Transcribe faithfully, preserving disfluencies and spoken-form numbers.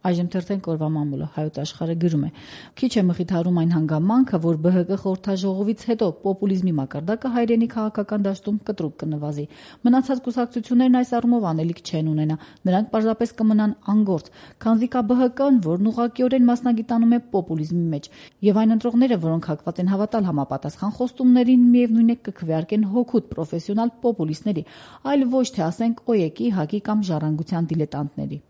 Այժմ թերթենք օրվա մամուլը հայոց աշխարհը գրում է. Քիչ է մխիթարում այն հանգամանքը, որ Բ Հ Կ խորհրդաժողովից հետո պոպուլիզմի մակարդակը հայրենի քաղաքական դաշտում կտրուկ կնվազի։ Մնացած կուսակցություններն այս առումով անելիք չեն ունենա, նրանք պարզապես կմնան անգործ, քանզի կա Բ Հ Կ-ն, որն ուղղակիորեն մասնագիտանում է պոպուլիզմի մեջ, եւ այն ընտրողները, որոնք հակված են հավատալ համապատասխան խոստումներին, միևնույն է կքվեարկեն հօգուտ պրոֆեսիոնալ պոպուլիստների, այլ ոչ թե ասենք Օ Ե Կի, ՀԱԿ-ի կամ Ժառանգության դիլետանտների։